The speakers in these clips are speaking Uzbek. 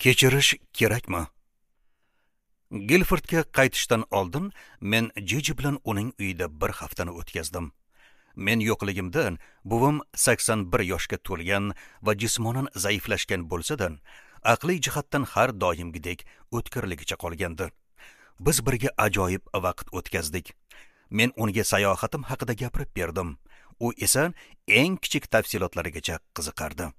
Kechirish kerakmi? Gilfordga qaytishdan oldin men Jiji bilan uning uyida bir haftani o'tkazdim. Men yo'qligimda buvim 81 yoshga to'lgan va jismonan zaiflashgan bo'lsa-da, aqliy jihatdan har doimgidek o'tkirligicha qolgandi. Biz birga ajoyib vaqt o'tkazdik. Men unga sayohatim haqida gapirib berdim. U esa eng kichik tafsilotlarigacha qiziqardi.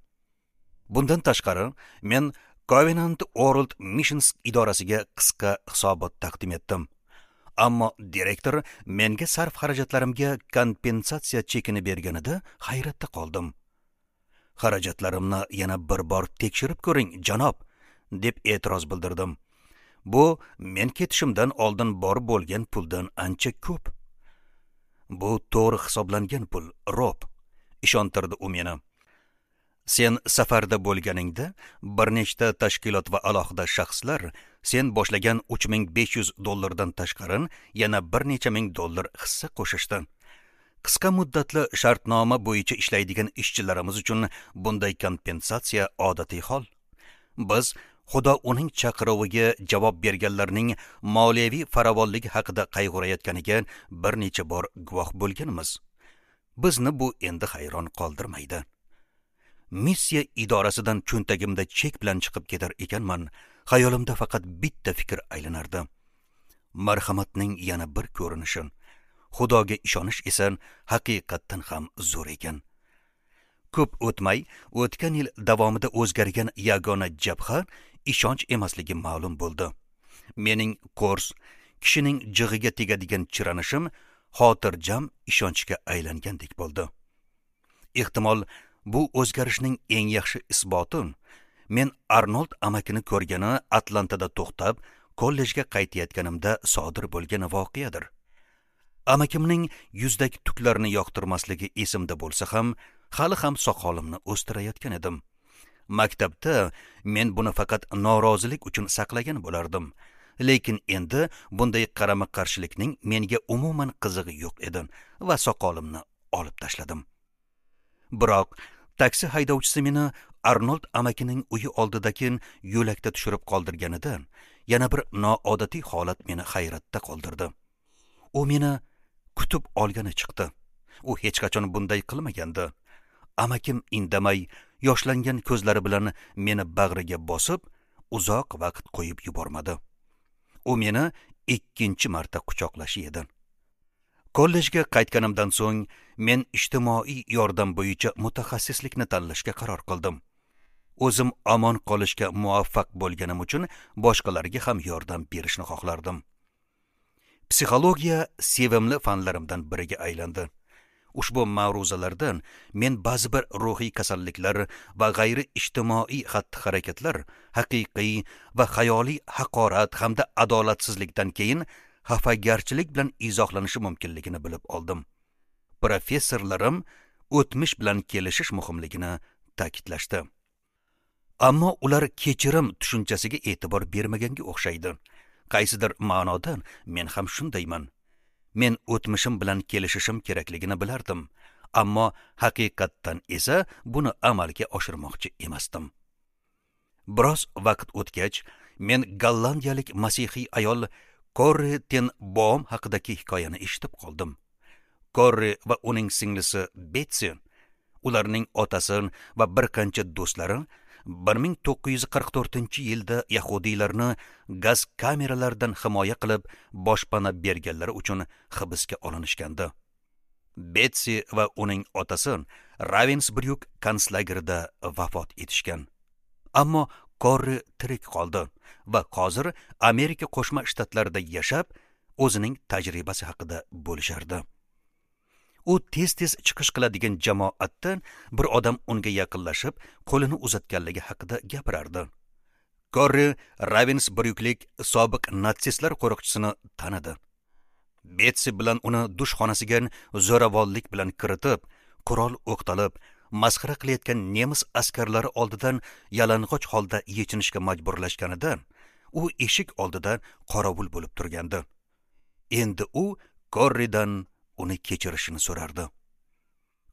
Bundan tashqari, men Covenant World Missions idorasiga qisqa hisobot taqdim etdim. Ammo direktor menga sarf xarajatlarimga kompensatsiya chekini berganida hayratda qoldim. Xarajatlarimni yana bir bor tekshirib ko'ring, janob, deb e'tiroz bildirdim. Bu men ketishimdan oldin bor bo'lgan puldan ancha ko'p. Bu to'g'ri hisoblangan pul, Rob, ishontirdi u meni. Sen safarda bo'lganingda bir nechta tashkilot va alohida shaxslar sen boshlagan $3500 dollardan tashqari yana bir necha ming dollar hissa qo'shishdi. Qisqa muddatli shartnoma bo'yicha ishlaydigan ishchilarimiz uchun bunday kompensatsiya odatiy hol. Biz Xudo uning chaqiruviga javob berganlarning moliyaviy farovonligi haqida qayg'urayotganiga bir necha bor guvoh bo'lganmiz. Bizni bu endi hayron qoldirmaydi. Missiya idorasidan cho'ntagimda chek bilan chiqib ketar ekanman, xayolimda faqat bitta fikr aylanardi. Marhamatning yana bir ko'rinishi. Xudoga ishonish esa haqiqatdan ham zo'r ekan. Ko'p o'tmay, o'tgan yil davomida o'zgargan yagona jabha ishonch emasligi ma'lum bo'ldi. Mening kurs, kishining jig'iga tegadigan chiranishim xotirjam ishonchga aylangandek bo'ldi. Ehtimol, bu o'zgarishning eng yaxshi isboti men Arnold amakini ko'rgani Atlantada to'xtab, kollejga qaytayotganimda sodir bo'lgan voqeadir. Amakimning yuzdagi tuklarini yoqtirmasligi esimda bo'lsa ham, hali ham soqolimni o'stirayotgan edim. Maktabda men buni faqat norozilik uchun saqlagan bo'lardim. Lekin endi bunday qarama-qarshilikning menga umuman qizig'i yo'q edi va soqolimni olib tashladim. Biroq taksi haydovchisi meni Arnold amakining uyi oldidagi yo'lakda tushirib qoldirganida yana bir noodatiy holat meni hayratda qoldirdi. U meni kutib olgani chiqdi. U hech qachon bunday qilmagandi. Amakim indamay, yoshlangan ko'zlari bilan meni bag'riga bosib, uzoq vaqt qo'yib yubormadi. U meni ikkinchi marta quchoqlashi edi. Kollejga qaytganimdan so'ng men ijtimoiy yordam bo'yicha mutaxassislikni tanlashga qaror qildim. O'zim omon qolishga muvaffaq bo'lganim uchun boshqalarga ham yordam berishni xohlardim. Psixologiya sevimli fanlarimdan biriga aylandi. Ushbu ma'ruzalardan men ba'zi bir ruhiy kasalliklar va g'ayri ijtimoiy xatti-harakatlar haqiqiy va xayoliy haqorat hamda adolatsizlikdan keyin xafagarchilik bilan izohlanishi mumkinligini bilib oldim. Professorlarim o'tmish bilan kelishish muhimligini ta'kidlashdi. Ammo ular kechirim tushunchasiga e'tibor bermaganga o'xshaydi. Qaysidir ma'noda men ham shundayman. Men o'tmishim bilan kelishishim kerakligini bilardim, ammo haqiqatdan esa buni amalga oshirmoqchi emasdim. Biroz vaqt o'tgach, men gollandiyalik masihiy ayol Korri ten Boom haqidagi hikoyani eshitib qoldim. Korri va uning singlisi Betsi, ularning otasi va bir qancha do'stlari 1944-yilda yahudiylarni gaz kameralaridan himoya qilib boshpana berganlari uchun hibsga olinishgandi. Betsi va uning otasi Ravensbrück konslagerida vafot etishgan. Ammo Korri tirik qoldi va hozir Amerika Qo'shma Shtatlarida yashab, o'zining tajribasi haqida bo'lishardi. U tez-tez chiqish qiladigan jamoatdan bir odam unga yaqinlashib, qo'lini uzatganligi haqida gapirardi. Korri Ravensbrücklik sobiq natsistlar qo'riqchisini tanidi. Betsi bilan uni dush xonasiga zo'ravonlik bilan kiritib, qurol o'qtalib, masxara qilayotgan nemis askarlari oldidan yalang'och holda yechinishga majburlashganida, u eshik oldida qorovul bo'lib turgandi. Endi u Korridan uni kechirishini so'rardi.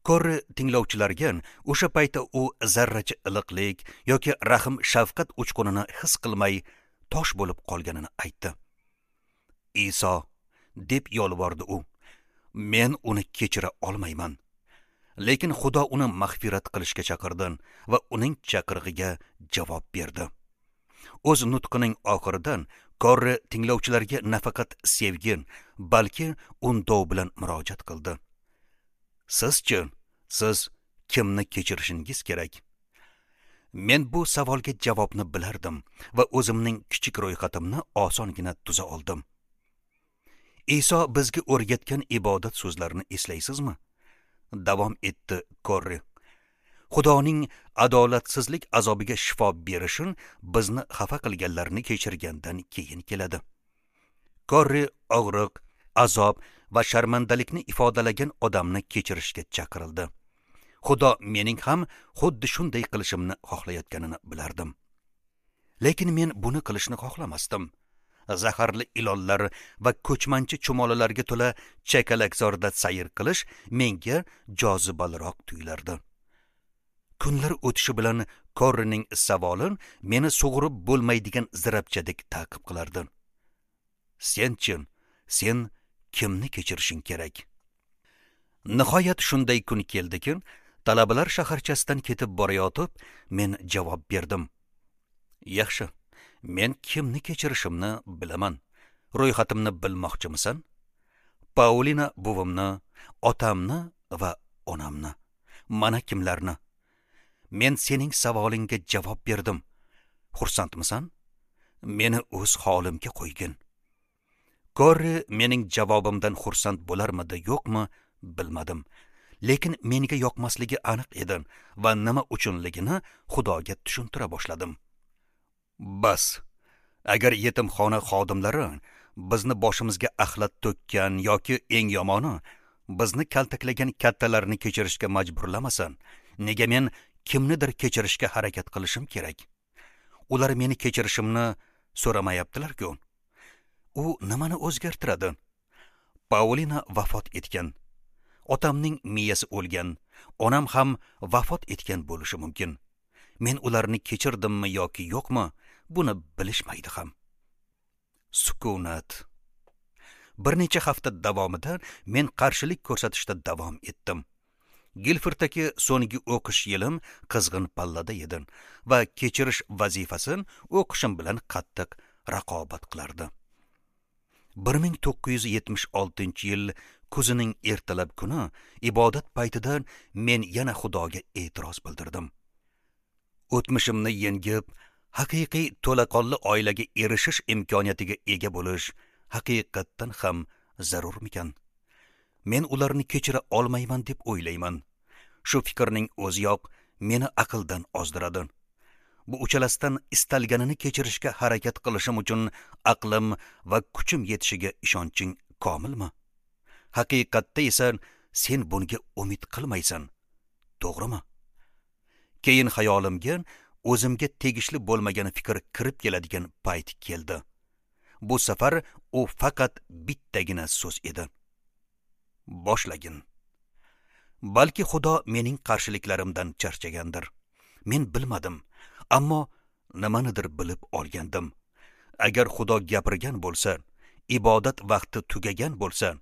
Korri tinglovchilarga o'sha paytda u zarracha iliqlik yoki rahm shafqat uchqunini his qilmay tosh bo'lib qolganini aytdi. Iso, deb yolvordi u, men uni kechira olmayman. Lekin Xudo uni mag'firat qilishga chaqirdi va uning chaqirig'iga javob berdi. O'z nutqining oxiridan Korri tinglovchilarga nafaqat sevgi, balki undov bilan murojaat qildi. Sizchi, siz kimni kechirishingiz kerak? Men bu savolga javobni bilardim va o'zimning kichik ro'yxatimni osongina tuza oldim. Iso bizga o'rgatgan ibodat so'zlarini eslaysizmi? Davom etdi Korri. Xudoning adolatsizlik azobiga shifo berishin bizni xafa qilganlarni kechirgandan keyin keladi. Korri og'riq, azob va sharmandalikni ifodalagan odamni kechirishga chaqirildi. Xudo mening ham xuddi shunday qilishimni xohlayotganini bilardim. Lekin men buni qilishni xohlamasdim. Zaharli ilonlar va ko'chmanchi chumolilarga to'la chakalakzorda sayr qilish menga jozibaliroq tuyulardi. Kunlar o'tishi bilan Korrining savoli meni sug'urib bo'lmaydigan zirapchadek ta'qib qilardi. Sen-chi, sen kimni kechirishing kerak? Nihoyat shunday kun keldiki, talabalar shaharchasidan ketib borayotib, men javob berdim. Yaxshi, men kimni kechirishimni bilaman. Ro'yxatimni bilmoqchimisan? Paulina buvimni, otamni va onamni. Mana kimlarni. Men sening savolingga javob berdim. Xursandmisan? Meni o'z holimga qo'ygin. Korri mening javobimdan xursand bo'larmidi, yo'qmi, bilmadim. Lekin menga yoqmasligi aniq edi va nima uchunligini Xudoga tushuntira boshladim. Bas, agar yetimxona xodimlari bizni boshimizga axlat to'kkan yoki eng yomoni bizni kaltaklagan kattalarni kechirishga majburlamasin, nega men kimnidir kechirishga harakat qilishim kerak? Ular meni kechirishimni so'ramayaptilar-ku. U nimani o'zgartiradi? Paulina vafot etgan. Otamning miyasi o'lgan, onam ham vafot etgan bo'lishi mumkin. Men ularni kechirdimmi yoki yo'qmi, buni bilishmaydi ham. Sukunat. Bir necha hafta davomida men qarshilik ko'rsatishda davom etdim. Gilforddagi so'nggi o'qish yilim qizg'in pallada edi va kechirish vazifasini o'qishim bilan qattiq raqobat qilardi. 1976-yil kuzining ertalab kuni ibodat paytida men yana Xudoga e'tiroz bildirdim. O'tmishimni yengib, haqiqiy to'laqonli oilaga erishish imkoniyatiga ega bo'lish haqiqatdan ham zarurmikan? Men ularni kechira olmayman deb o'ylayman. Shu fikrning o'ziyoq meni aqldan ozdiradi. Bu uchalasidan istalganini kechirishga harakat qilishim uchun aqlim va kuchim yetishiga ishonching komilmi? Haqiqatda esa sen bunga umid qilmaysan, to'g'rimi? Keyin xayolimga o'zimga tegishli bo'lmagan fikr kirib keladigan payt keldi. Bu safar u faqat bittagina so'z edi. Boshlagin. Balki Xudo mening qarshiliklarimdan charchagandir. Men bilmadim, ammo nimanidir bilib olgandim. Agar Xudo gapirgan bo'lsa, ibodat vaqti tugagan bo'lsa,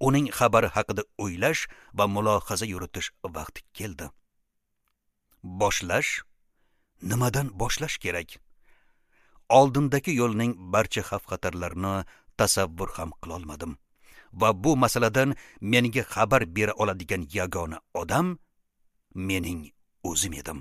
uning xabari haqida o'ylash va mulohaza yuritish vaqti keldi. Boshlash? Nimadan boshlash kerak? Oldindagi yo'lning barcha xavf-xatarlarini tasavvur ham qila olmadim. Va bu masaladan menga xabar bera oladigan yagona odam mening o'zim edim.